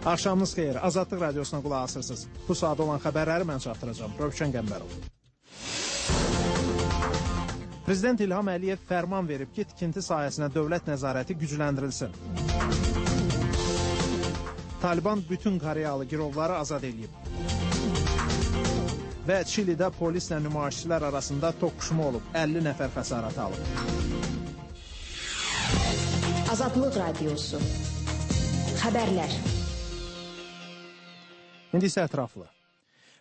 Axşamınız xeyir. Azadlıq radiosuna qulaq asırsınız. Bu saat olan xəbərləri mən çatdıracağım. Rövşən Qəmbərov. Prezident İlham Əliyev fərman verib ki, tikinti sahəsinə dövlət nəzarəti gücləndirilsin. Taliban bütün Koreyalı girovları azad edib. Və Çilidə polislə nümayişçilər arasında toqquşma olub. 50 nəfər xəsarət alıb. Azadlıq radiosu. Xəbərlər. İndi isə ətraflı.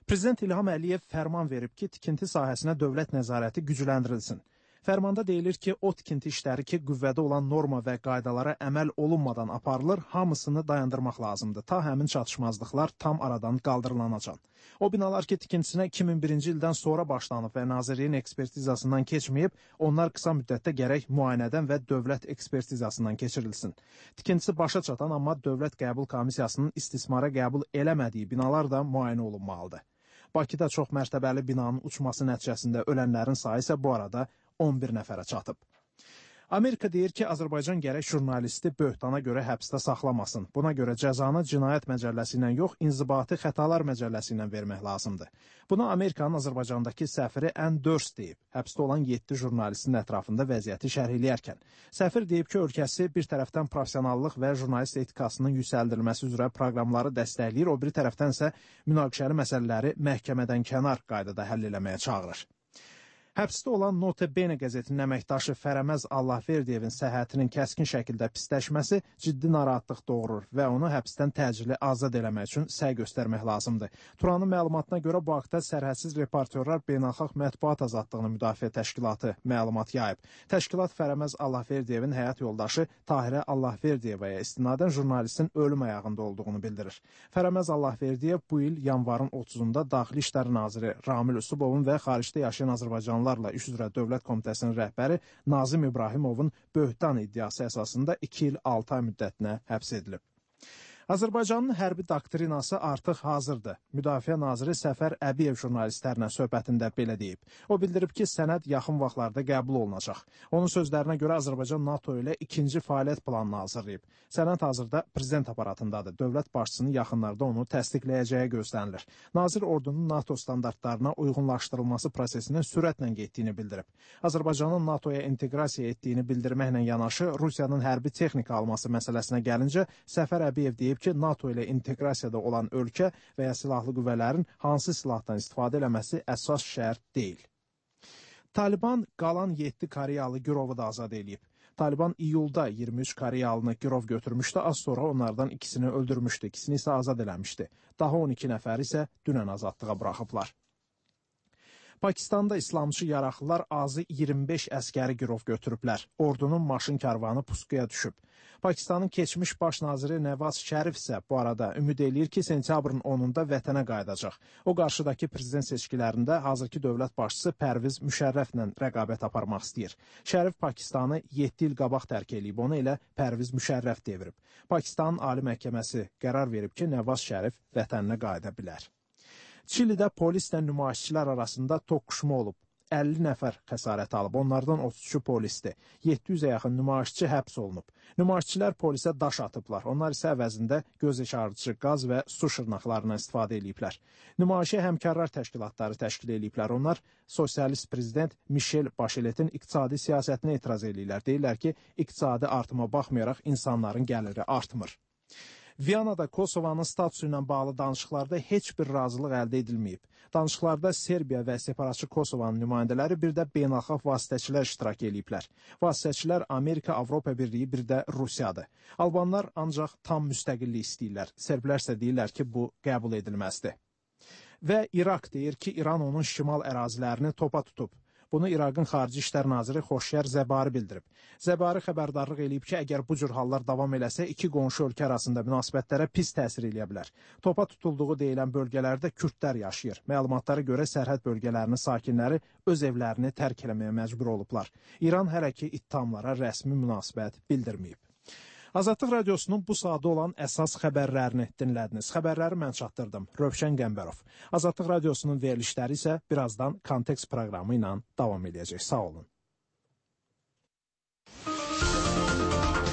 Prezident İlham Əliyev fərman verib ki, tikinti sahəsinə dövlət nəzarəti gücləndirilsin. Fərmanda deyilir ki, o tikinti işləri ki, qüvvədə olan norma və qaydalara əməl olunmadan aparılır, hamısını dayandırmaq lazımdır, ta həmin çatışmazlıqlar tam aradan qaldırılanacan. O binalar ki, tikintisinə 2001-ci ildən sonra başlanıb və Nazirliyin ekspertizasından keçməyib, onlar qısa müddətdə gərək müayinədən və dövlət ekspertizasından keçirilsin. Tikintisi başa çatan, amma Dövlət Qəbul Komissiyasının istismara qəbul eləmədiyi binalar da müayinə olunmalıdır. Bakıda çox mərtəbəli binanın uçması nəticəsində ölənlərin sayı isə bu arada 11 nəfərə çatıb. Amerika deyir ki, Azərbaycan gərək jurnalisti böhtana görə həbsdə saxlamasın. Buna görə cəzanı cinayət məcəlləsi ilə yox, inzibati xətalar məcəlləsi ilə vermək lazımdır. Bunu Amerikanın Azərbaycandakı səfiri Ann Durst deyib, həbsdə olan 7 jurnalistin ətrafında vəziyyəti şərh eləyərkən. Səfir deyib ki, ölkəsi bir tərəfdən professionallıq və jurnalist etikasının yüksəldilməsi üzrə proqramları dəstəkləyir, o biri tərəfdən isə münaqişəli məsələləri məhkəmədən kənar qaydada həll eləməyə çağırır. Həbsdə olan Note Bene qəzetinin əməkdaşı Fərəməz Allahverdiyevin səhhətinin kəskin şəkildə pisləşməsi ciddi narahatlıq doğurur və onu həbsdən təcili azad eləmək üçün səy göstərmək lazımdır. Turanın məlumatına görə bu haqda Sərhədsiz Reportyorlar Beynəlxalq Mətbuat Azadlığını Müdafiə Təşkilatı məlumat yayıb. Təşkilat Fərəməz Allahverdiyevin həyat yoldaşı Tahirə Allahverdiyevaya istinadən jurnalistin ölüm ayağında olduğunu bildirir. Fərəməz Allahverdiyev bu il yanvarın 30-da Daxili İşlər Naziri Ramil Usubovun və xaricdə yaşayan Azərbaycanlılarla İş üzrə Dövlət Komitəsinin rəhbəri Nazim İbrahimovun böhtan iddiası əsasında 2 il 6 ay müddətinə həbs edilib. Azərbaycanın hərbi doktrinası artıq hazırdır. Müdafiə naziri Səfər Əbiyev jurnalistlərlə söhbətində belə deyib. O bildirib ki, sənəd yaxın vaxtlarda qəbul olunacaq. Onun sözlərinə görə Azərbaycan NATO ilə ikinci fəaliyyət planını hazırlayıb. Sənəd hazırda prezident aparatındadır. Dövlət başçısının yaxınlarda onu təsdiqləyəcəyi gözlənilir. Nazir ordunun NATO standartlarına uyğunlaşdırılması prosesinin sürətlə getdiyini bildirib. Azərbaycanın NATOya inteqrasiya etdiyini bildirməklə yanaşı, Rusiyanın hərbi texnika alması məsələsinə gəlincə, Səfər Əbiyev deyib ki, NATO ilə inteqrasiyada olan ölkə və ya silahlı qüvvələrin hansı silahdan istifadə eləməsi əsas şərt deyil. Taliban qalan 7 Koreyalı girovu da azad edib. Taliban iyulda 23 Koreyalını girov götürmüşdü, az sonra onlardan ikisini öldürmüşdü, ikisini isə azad eləmişdi. Daha 12 nəfər isə dünən azadlığa buraxıblar. Pakistanda İslamçı yaraqlılar azı 25 əskəri girov götürüblər. Ordunun maşın karvanı puskuya düşüb. Pakistanın keçmiş baş naziri Nəvaz Şərif isə bu arada ümid eləyir ki, sentyabrın 10-da vətənə qayıdacaq. O, qarşıdakı prezident seçkilərində hazırki dövlət başçısı Pərviz Müşərrəflə rəqabət aparmaq istəyir. Şərif Pakistanı 7 il qabaq tərk eləyib, onu elə Pərviz Müşərrəf devirib. Pakistanın Ali Məhkəməsi qərar verib ki, Nəvaz Şərif vətəninə qayıda bilər. Çilidə polislə nümayişçilər arasında toqquşma olub. 50 nəfər xəsarət alıb, onlardan 33-ü polisdir. 700-ə yaxın nümayişçi həbs olunub. Nümayişçilər polisə daş atıblar. Onlar isə əvəzində göz yaşardıcı qaz və su şırnaqlarından istifadə ediblər. Nümayişə həmkarlar təşkilatları təşkil ediblər. Onlar sosialist prezident Michel Bacheletin iqtisadi siyasətinə etiraz edirlər. Deyirlər ki, iqtisadi artıma baxmayaraq insanların gəliri artmır. Viyanada Kosovanın statusu ilə bağlı danışıqlarda heç bir razılıq əldə edilməyib. Danışıqlarda Serbiya və separatçı Kosovanın nümayəndələri bir də beynəlxalq vasitəçilər iştirak ediblər. Vasitəçilər Amerika, Avropa Birliyi, bir də Rusiyadır. Albanlar ancaq tam müstəqillik istəyirlər. Serblər isə deyirlər ki, bu qəbul edilməzdir. Və İraq deyir ki, İran onun şimal ərazilərini topa tutub. Bunu İraqın Xarici İşlər Naziri Xoşyar Zəbari bildirib. Zəbari xəbərdarlıq eləyib ki, əgər bu cür hallar davam eləsə, iki qonşu ölkə arasında münasibətlərə pis təsir eləyə bilər. Topa tutulduğu deyilən bölgələrdə kürdlər yaşayır. Məlumatlara görə sərhəd bölgələrinin sakinləri öz evlərini tərk eləməyə məcbur olublar. İran hələ ki ittihamlara rəsmi münasibət bildirməyib. Azadlıq radiosunun bu saatda olan əsas xəbərlərini dinlədiniz. Xəbərləri mən çatdırdım. Rövşən Qəmbərov. Azadlıq radiosunun verilişləri isə birazdan Kontekst proqramı ilə davam edəcək. Sağ olun.